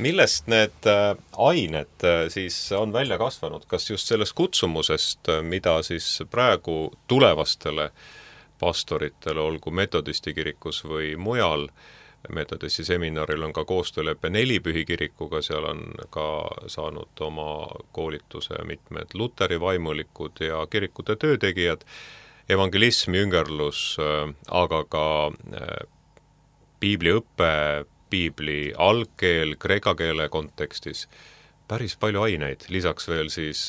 S2: Millest need ained siis on välja kasvanud? Kas just sellest kutsumusest, mida siis praegu tulevastele pastoritele, olgu Metodisti kirikus või mujal, Metodisti seminaril on ka koostöölepe Nelipühi kirikuga, seal on ka saanud oma koolituse mitmed Luteri vaimulikud ja kirikute töötegijad, evangelism, jüngerlus, aga ka piibliõppe, piibli algkeel, kreeka keele kontekstis, päris palju aineid, lisaks veel siis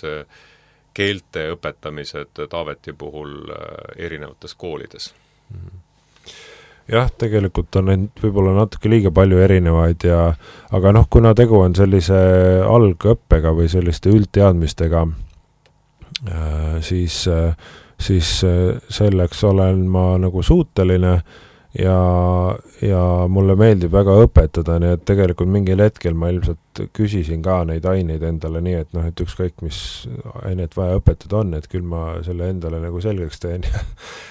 S2: keelte õpetamised Taaveti puhul erinevates koolides.
S3: Mm-hmm. Jah, tegelikult on neid võib-olla natuke liiga palju erinevaid ja aga noh, kuna tegu on sellise algõppega või selliste üldteadmistega, siis, siis selleks olen ma nagu suuteline ja, ja mulle meeldib väga õpetada, nii et tegelikult mingil hetkel ma ilmselt küsisin ka neid aineid endale nii, et noh, et ükskõik mis ainet vaja õpetada on, et küll ma selle endale nagu selgeks teen ja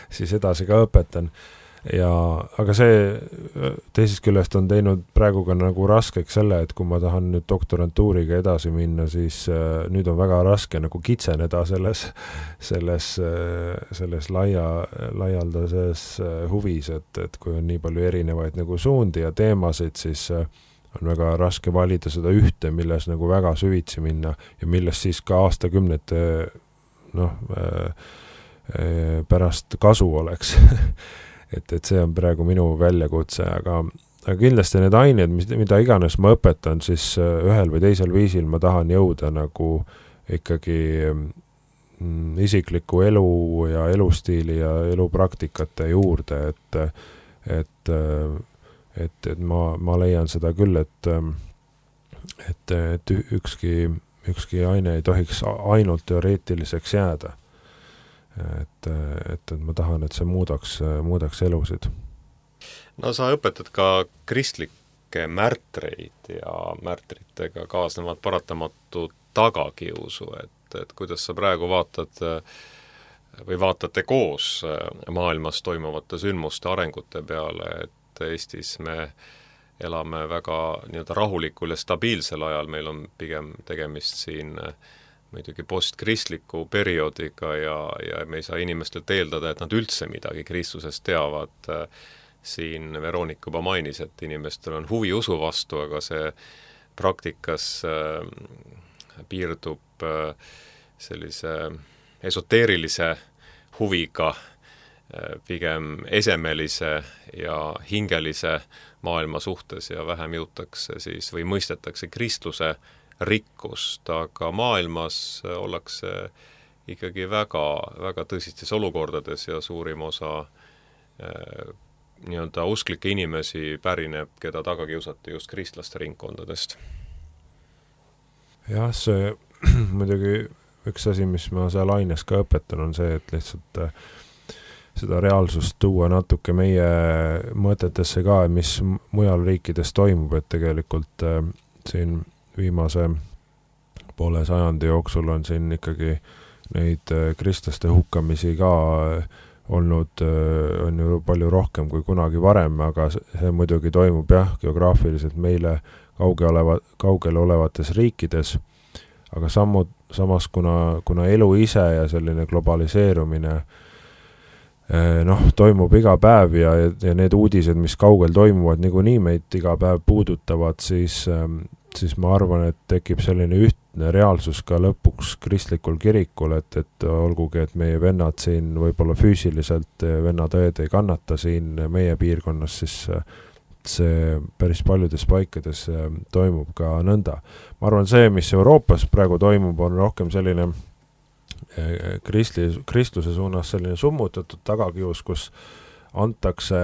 S3: siis edasi ka õpetan. Ja, aga see teisest küljest on teinud praegu ka nagu raskeks selle, et kui ma tahan nüüd doktorantuuriga edasi minna, siis äh, nüüd on väga raske nagu kitseneda selles, selles, selles laia, laialdases huvis, et, et kui on nii palju erinevaid nagu suundi ja teemasid, siis äh, on väga raske valida seda ühte, milles nagu väga süvitsi minna ja milles siis ka aastakümnete noh, äh, äh, pärast kasu oleks. Et, et see on praegu minu väljakutse, aga, aga kindlasti need ained, mis, mida iganes ma õpetan, siis ühel või teisel viisil ma tahan jõuda nagu ikkagi mm, isikliku elu ja elustiili ja elupraktikate juurde, et, et, et, et ma, ma leian seda küll, et, et, et ükski, ükski aine ei tohiks ainult teoreetiliseks jääda. et, et, et ma tahan, et see muudaks, muudaks elusid.
S2: No sa õpetad ka kristlikke märtreid ja märtritega kaasnevad paratamatu tagakiusu, et, et kuidas sa praegu vaatad või vaatate koos maailmas toimuvate sündmuste arengute peale, et Eestis me elame väga nii-öelda rahulikul ja stabiilsel ajal, meil on pigem tegemist siin muidugi postkristliku perioodiga ja, ja me ei saa inimestelt eeldada, et nad üldse midagi Kristusest teavad. Siin Veronika juba mainis, et inimestel on huvi usu vastu, aga see praktikas piirdub sellise esoteerilise huviga, pigem esemelise ja hingelise maailma suhtes ja vähem jõutakse siis või mõistetakse kristluse rikkust, aga maailmas ollakse ikkagi väga, väga tõsistes olukordades ja suurim osa eh, nii-öelda usklikke inimesi pärineb, keda taga kiusati just kristlaste ringkondadest.
S3: Jah, see muidugi üks asi, mis ma seal aines ka õpetan, on see, et lihtsalt seda reaalsust tuua natuke meie mõtetesse ka, mis mujal riikides toimub, et tegelikult äh, siin viimase poole sajandi jooksul on siin ikkagi neid äh, kristlaste hukkamisi ka äh, olnud, äh, on ju palju rohkem kui kunagi varem, aga see muidugi toimub jah, geograafiliselt meile kauge oleva, kaugel olevates riikides, aga sammud, samas kuna, kuna elu ise ja selline globaliseerumine noh, toimub iga päev ja, ja need uudised, mis kaugel toimuvad, niikuinii meid iga päev puudutavad, siis, siis ma arvan, et tekib selline ühtne reaalsus ka lõpuks kristlikul kirikul, et, et olgugi, et meie vennad siin võib-olla füüsiliselt, vennad-õed ei kannata siin meie piirkonnas, siis see päris paljudes paikades toimub ka nõnda. Ma arvan, see, mis Euroopas praegu toimub, on rohkem selline kristli, kristluse suunas selline summutatud tagakius, kus antakse,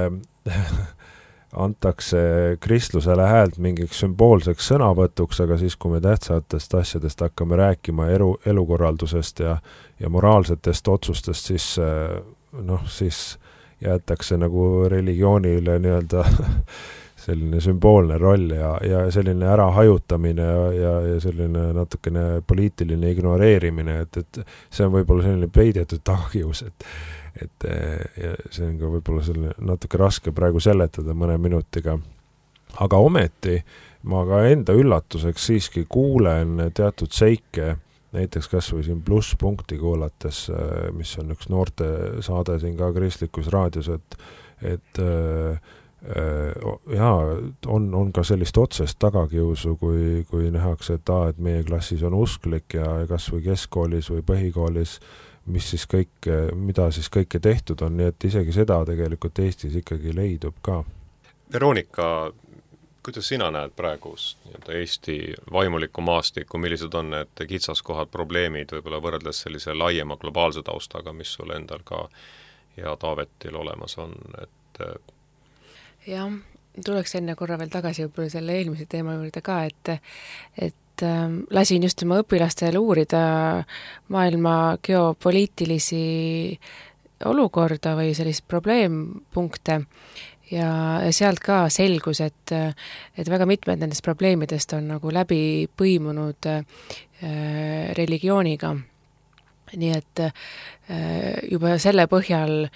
S3: antakse kristlusele häält mingiks sümboolseks sõnavõtuks, aga siis, kui me tähtsatest asjadest hakkame rääkima elu, elukorraldusest ja, ja moraalsetest otsustest, siis, noh, siis jäetakse nagu religioonile nii-öelda selline sümboolne roll ja, ja selline ärahajutamine ja, ja, ja selline natukene poliitiline ignoreerimine, et, et see on võib-olla selline peidetud tagakius, et, et ja see on ka võib-olla selline natuke raske praegu seletada mõne minutiga. Aga ometi ma ka enda üllatuseks siiski kuulen teatud seike, näiteks kas või siin plusspunkti kuulates, mis on üks noorte saade siin ka kristlikus raadios, et, et jaa, on, on ka sellist otsest tagakiusu, kui, kui nähakse, et, aa, et meie klassis on usklik ja kas või keskkoolis või põhikoolis, mis siis kõik, mida siis kõike tehtud on, nii et isegi seda tegelikult Eestis ikkagi leidub ka.
S2: Veronika, kuidas sina näed praegu Eesti vaimuliku maastiku, millised on need kitsaskohad, probleemid võib-olla võrreldes sellise laiema globaalse taustaga, mis sul endal ka ja Taavetil olemas on, et
S4: jah, tuleks enne korra veel tagasi võib-olla selle eelmise teema juurde ka, et, et äh, lasin just oma õpilastel uurida maailma geopoliitilisi olukorda või sellist probleempunkte ja, ja sealt ka selgus, et, et väga mitmed nendest probleemidest on nagu läbi põimunud äh, religiooniga. Nii et äh, juba selle põhjal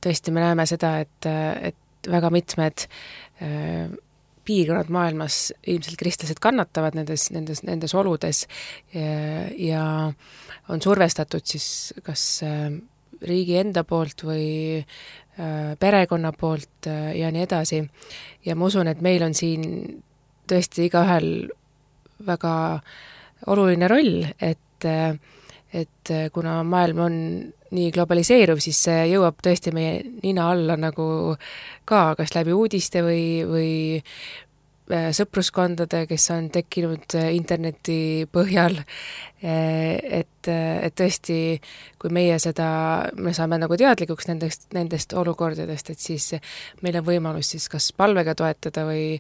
S4: tõesti me näeme seda, et, et väga mitmed äh, piirkonnad maailmas ilmselt kristlased kannatavad nendes, nendes, nendes oludes ja, ja on survestatud siis kas äh, riigi enda poolt või äh, perekonna poolt äh, ja nii edasi. Ja ma usun, et meil on siin tõesti igaühel väga oluline roll, et äh, et kuna maailm on nii globaliseeruv, siis see jõuab tõesti meie nina alla nagu ka, kas läbi uudiste või, või sõpruskondade, kes on tekkinud interneti põhjal, et, et tõesti, kui meie seda, me saame nagu teadlikuks nendest, nendest olukordadest, et siis meil on võimalus siis kas palvega toetada või,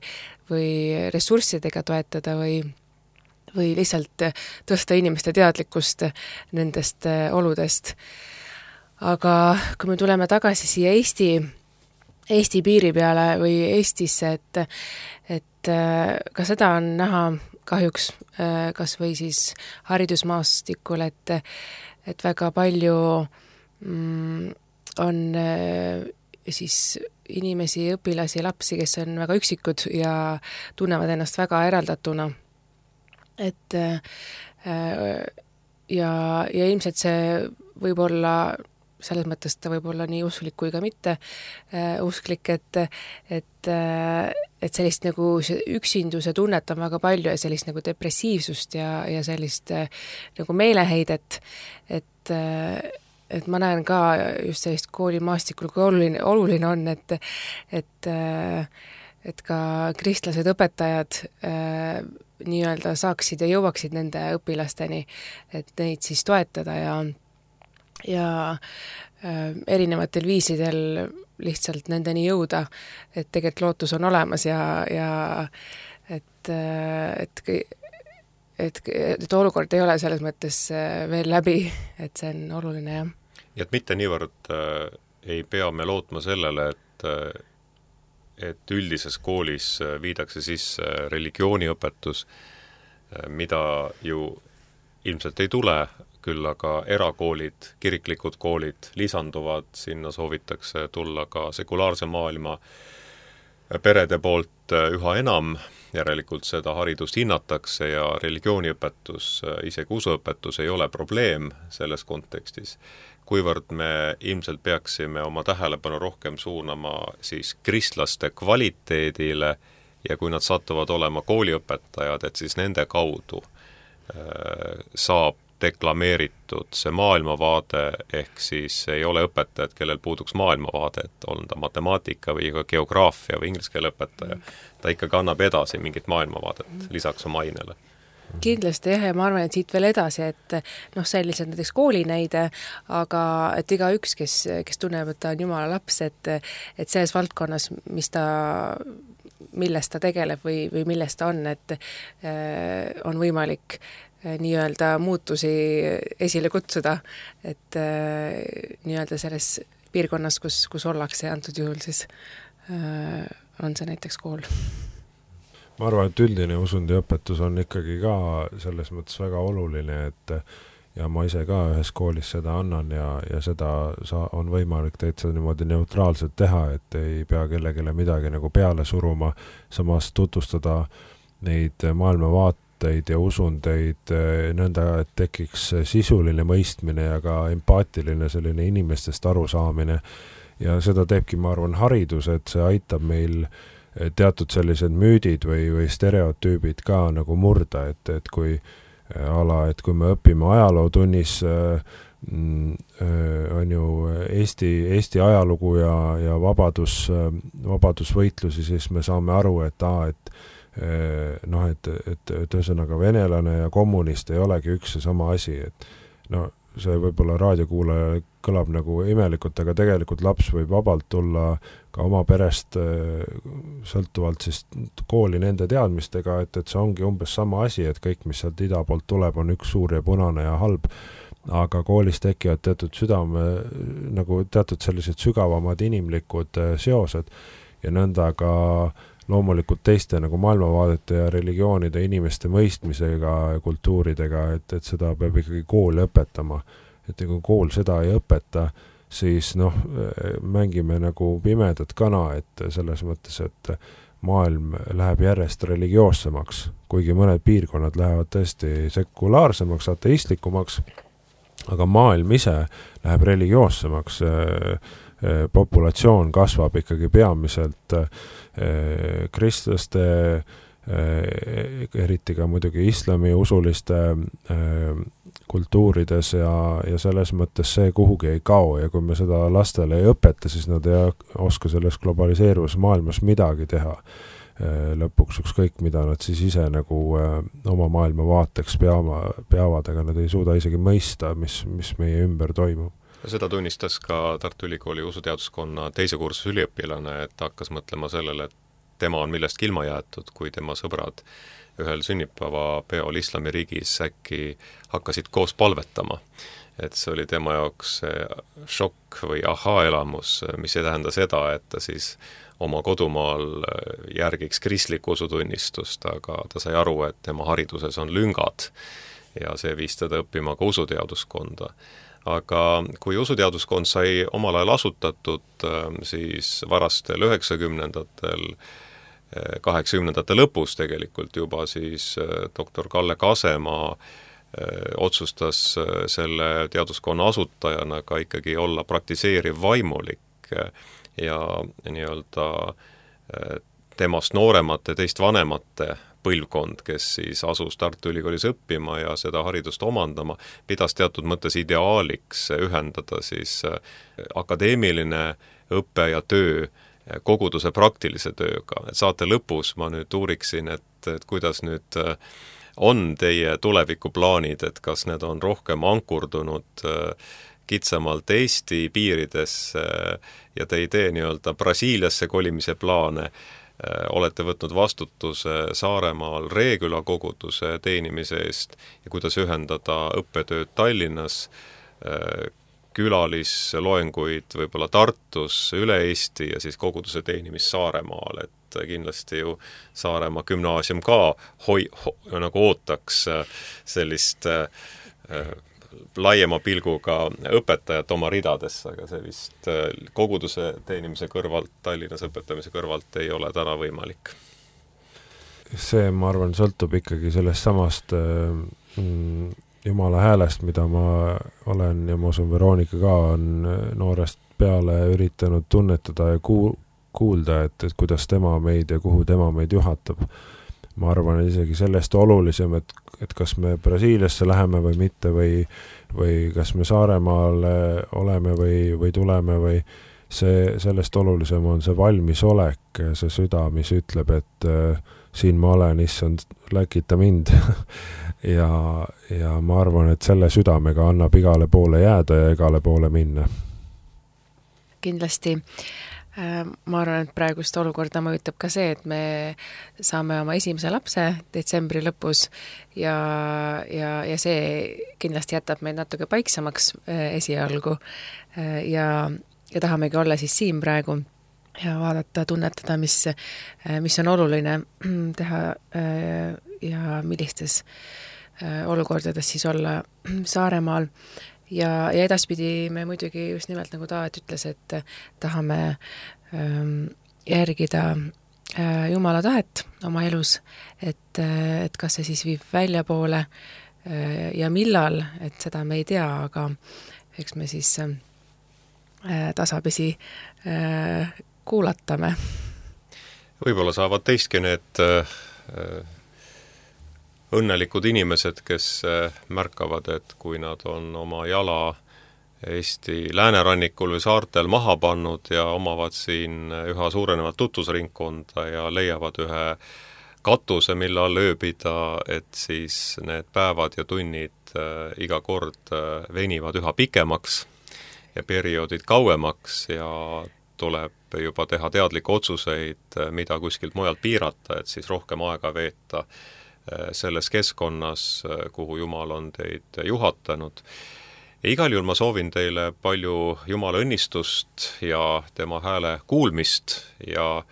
S4: või ressurssidega toetada või või lihtsalt tõsta inimeste teadlikkust nendest oludest. aga kui me tuleme tagasi siia Eesti, Eesti piiri peale või Eestisse, et, et ka seda on näha kahjuks kas või siis haridusmaastikul, et, et väga palju mm, on siis inimesi, õpilasi, lapsi, kes on väga üksikud ja tunnevad ennast väga eraldatuna. Et ja, ja ilmselt see võib olla, selles mõttes ta võib olla nii usklik kui ka mitte usklik, et, et, et sellist nagu üksinduse tunnet on väga palju ja sellist nagu depressiivsust ja, ja sellist nagu meeleheidet, et et ma näen ka just sellist koolimaastikul, kui oluline, oluline on, et, et, et ka kristlased õpetajad äh, nii-öelda saaksid ja jõuaksid nende õpilasteni, et neid siis toetada ja, ja äh, erinevatel viisidel lihtsalt nendeni jõuda, et tegelikult lootus on olemas ja, ja et, et, et, et olukord ei ole selles mõttes veel läbi, et see on oluline, jah.
S2: Ja et mitte niivõrd äh, ei pea me lootma sellele, et, et üldises koolis viidakse sisse religiooniõpetus, mida ju ilmselt ei tule, küll aga erakoolid, kiriklikud koolid lisanduvad, sinna soovitakse tulla ka sekulaarse maailma perede poolt üha enam, järelikult seda haridust hinnatakse ja religiooniõpetus, isegi usuõpetus ei ole probleem selles kontekstis. Kuivõrd me ilmselt peaksime oma tähelepanu rohkem suunama siis kristlaste kvaliteedile ja kui nad satuvad olema kooliõpetajad, et siis nende kaudu äh, saab deklameeritud see maailmavaade, ehk siis ei ole õpetajad, kellel puuduks maailmavaade, et on ta matemaatika või ka geograafia või inglise keele õpetaja, ta ikkagi annab edasi mingit maailmavaadet lisaks oma ainele.
S4: Kindlasti jah, ja ma arvan, et siit veel edasi, et noh, see on lihtsalt näiteks koolinäide, aga et iga üks, kes, kes tunneb, et ta on Jumala laps, et, et selles valdkonnas, mis ta, millest ta tegeleb või, või millest ta on, et äh, on võimalik äh, nii-öelda muutusi esile kutsuda, et äh, nii-öelda selles piirkonnas, kus, kus ollakse, antud juhul siis äh, on see näiteks kool.
S3: Ma arvan, et üldine usundiõpetus on ikkagi ka selles mõttes väga oluline, et ja ma ise ka ühes koolis seda annan ja, ja seda sa, on võimalik täitsa niimoodi neutraalselt teha, et ei pea kellegile midagi nagu peale suruma, samas tutvustada neid maailmavaateid ja usundeid nõnda, et tekiks sisuline mõistmine ja ka empaatiline selline inimestest arusaamine. Ja seda teebki, ma arvan, haridus, et see aitab meil teatud sellised müüdid või, või stereotüübid ka nagu murda, et, et kui ala, et kui me õpime ajalootunnis äh, äh, on ju Eesti, Eesti ajalugu ja, ja vabadus, äh, vabadusvõitlusi, siis me saame aru, et aa, et äh, noh, et, et, et ühesõnaga venelane ja kommunist ei olegi üks ja sama asi, et no see võib-olla raadiokuulaja kõlab nagu imelikult, aga tegelikult laps võib vabalt tulla ka oma perest sõltuvalt siis kooli nende teadmistega, et, et see ongi umbes sama asi, et kõik, mis sealt ida poolt tuleb, on üks suur ja punane ja halb, aga koolis tekivad teatud südame, nagu teatud sellised sügavamad inimlikud seosed ja nõnda ka loomulikult teiste nagu maailmavaadete ja religioonide inimeste mõistmisega ja kultuuridega, et, et seda peab ikkagi kool õpetama. Et kui kool seda ei õpeta, siis noh, mängime nagu pimedat kana, et selles mõttes, et maailm läheb järjest religioossemaks, kuigi mõned piirkonnad lähevad tõesti sekulaarsemaks, ateistlikumaks, aga maailm ise läheb religioossemaks, populatsioon kasvab ikkagi peamiselt kristlaste, eriti ka muidugi islami usuliste kultuurides ja, ja selles mõttes see kuhugi ei kao ja kui me seda lastele ei õpeta, siis nad ei oska selles globaliseeruvas maailmas midagi teha. Lõpuks ükskõik, mida nad siis ise nagu oma maailma vaateks peama, peavad, aga nad ei suuda isegi mõista, mis, mis meie ümber toimub.
S2: Seda tunnistas ka Tartu Ülikooli usuteaduskonna teise kursuse üliõpilane, et hakkas mõtlema sellele, et tema on millestki ilma jäetud, kui tema sõbrad ühel sünnipäeva peol islamiriigis äkki hakkasid koos palvetama. et see oli tema jaoks šokk või ahaa-elamus, mis ei tähenda seda, et ta siis oma kodumaal järgiks kristlikku usutunnistust, aga ta sai aru, et tema hariduses on lüngad ja see viis teda õppima ka usuteaduskonda. Aga kui usuteaduskond sai omal ajal asutatud, siis varastel üheksakümnendatel, kaheksakümnendate lõpus tegelikult juba, siis doktor Kalle Kasemaa otsustas selle teaduskonna asutajana ka ikkagi olla praktiseeriv vaimulik ja nii-öelda temast nooremate, teist vanemate põlvkond, kes siis asus Tartu Ülikoolis õppima ja seda haridust omandama, pidas teatud mõttes ideaaliks ühendada siis akadeemiline õpe ja töö koguduse praktilise tööga. Et saate lõpus ma nüüd uuriksin, et, et kuidas nüüd on teie tulevikuplaanid, et kas need on rohkem ankurdunud kitsamalt Eesti piiridesse ja te ei tee nii-öelda Brasiiliasse kolimise plaane, olete võtnud vastutuse Saaremaal Reeküla koguduse teenimise eest ja kuidas ühendada õppetööd Tallinnas, külalisloenguid võib-olla Tartus, üle Eesti ja siis koguduse teenimist Saaremaal, et kindlasti ju Saaremaa gümnaasium ka hoi, ho, nagu ootaks sellist äh, laiema pilguga õpetajat oma ridadesse, aga see vist koguduse teenimise kõrvalt, Tallinnas õpetamise kõrvalt ei ole täna võimalik.
S3: See, ma arvan, sõltub ikkagi sellest samast mm, Jumala häälest, mida ma olen ja ma usun, Veronika ka on noorest peale üritanud tunnetada ja kuul- kuulda, et, et kuidas tema meid ja kuhu tema meid juhatab. Ma arvan isegi sellest olulisem, et, et kas me Brasiiliasse läheme või mitte või, või kas me Saaremaal oleme või, või tuleme või see, sellest olulisem on see valmisolek, see süda, mis ütleb, et äh, siin ma olen, issand, läkita mind ja, ja ma arvan, et selle südamega annab igale poole jääda ja igale poole minna.
S4: Kindlasti. Ma arvan, et praegust olukorda mõjutab ka see, et me saame oma esimese lapse detsembri lõpus ja, ja, ja see kindlasti jätab meid natuke paiksamaks esialgu ja, ja tahamegi olla siis siin praegu ja vaadata, tunnetada, mis, mis on oluline teha ja millistes olukordades siis olla Saaremaal. Ja, ja edaspidi me muidugi just nimelt nagu Taavet ütles, et tahame ähm, järgida äh, Jumala tahet oma elus, et, et kas see siis viib väljapoole äh, ja millal, et seda me ei tea, aga eks me siis äh, tasapisi äh, kuulatame.
S2: Võib-olla saavad teistki need äh, õnnelikud inimesed, kes märkavad, et kui nad on oma jala Eesti läänerannikul või saartel maha pannud ja omavad siin üha suurenevat tutvusringkonda ja leiavad ühe katuse, mille all ööbida, et siis need päevad ja tunnid iga kord venivad üha pikemaks ja perioodid kauemaks ja tuleb juba teha teadlikke otsuseid, mida kuskilt mujalt piirata, et siis rohkem aega veeta selles keskkonnas, kuhu Jumal on teid juhatanud. Ja igal juhul ma soovin teile palju Jumala õnnistust ja tema hääle kuulmist ja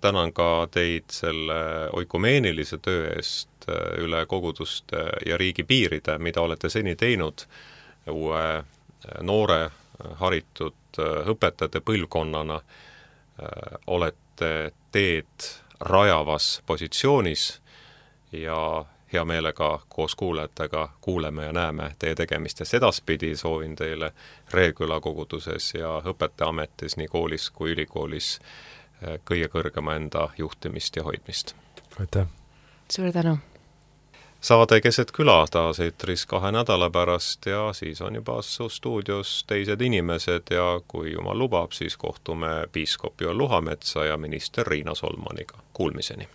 S2: tänan ka teid selle oikumeenilise töö eest üle koguduste ja riigi piiride, mida olete seni teinud uue noore haritud õpetajate põlvkonnana. Olete teed rajavas positsioonis ja hea meelega koos kuulajatega kuuleme ja näeme teie tegemistest edaspidi. Soovin teile Reeküla koguduses ja õpetajaametis nii koolis kui ülikoolis kõige kõrgema enda juhtimist ja hoidmist.
S3: Aitäh!
S4: Suur tänu!
S2: Saade Keset küla taas eetris kahe nädala pärast ja siis on juba su stuudios teised inimesed ja kui Jumal lubab, siis kohtume piiskop Joel Luhametsa ja minister Riina Solmaniga. Kuulmiseni!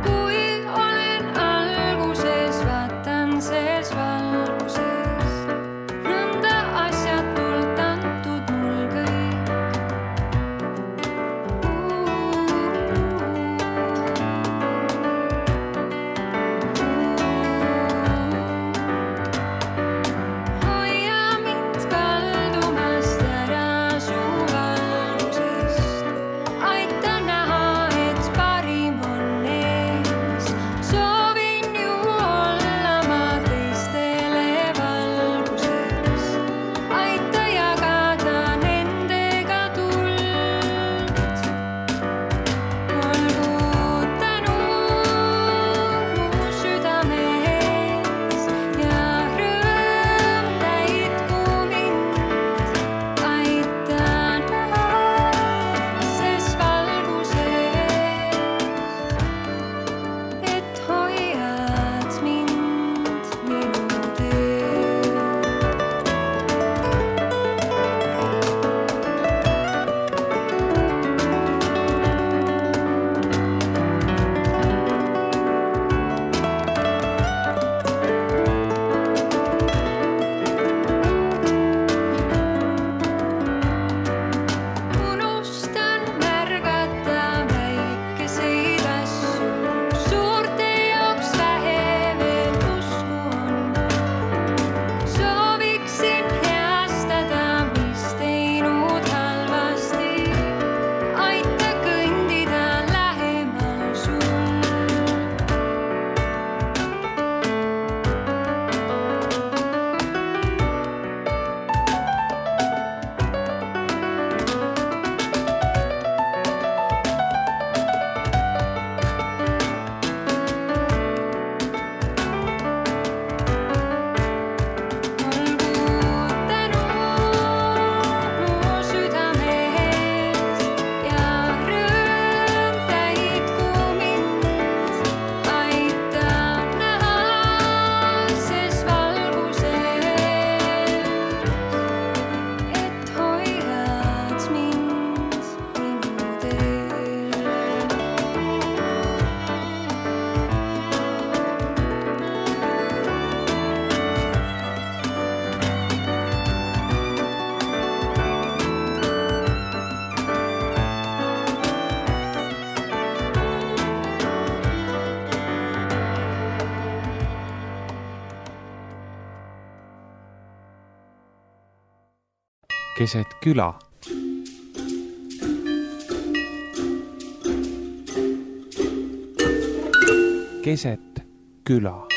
S5: Kui
S1: keset küla. Keset küla.